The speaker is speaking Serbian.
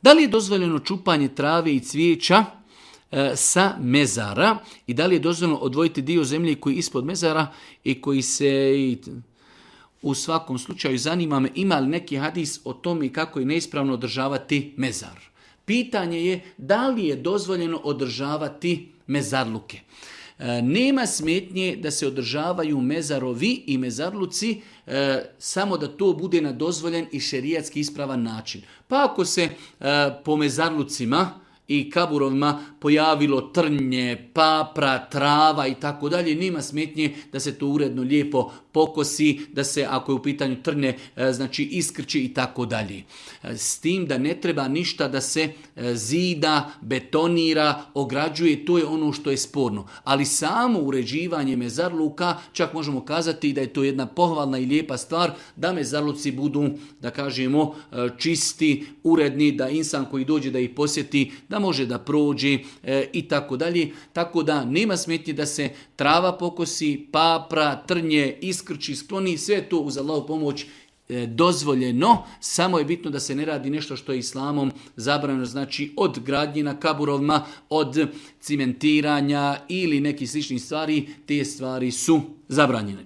Da li je dozvoljeno čupanje trave i cvijeća sa mezara i da li je dozvoljeno odvojiti dio zemlje koji je ispod mezara i koji se... U svakom slučaju zanima me ima li neki hadis o tome kako je neispravno održavati mezar. Pitanje je da li je dozvoljeno održavati mezarluke. Nema smetnje da se održavaju mezarovi i mezarluci samo da to bude na dozvoljen i šerijatski ispravan način. Pa ako se po mezarlucima i kaburovima pojavilo trnje, papra, trava i tako dalje, nema smetnje da se to uredno lijepo pokosi, da se ako je u pitanju trnje, znači iskrči i tako dalje. S tim da ne treba ništa da se zida, betonira, ograđuje, to je ono što je sporno. Ali samo uređivanje mezarluka, čak možemo kazati da je to jedna pohvalna i lijepa stvar, da mezarluci budu, da kažemo, čisti, uredni, da insan koji dođe da ih posjeti, da može da prođe i tako dalje. Tako da nema smetnje da se trava pokosi, papra, trnje, iskrči, skloni, sve to uz Allahovu pomoć dozvoljeno, samo je bitno da se ne radi nešto što je islamom zabranjeno, znači od gradnje na kaburovima, od cimentiranja ili nekih sličnih stvari, te stvari su zabranjene.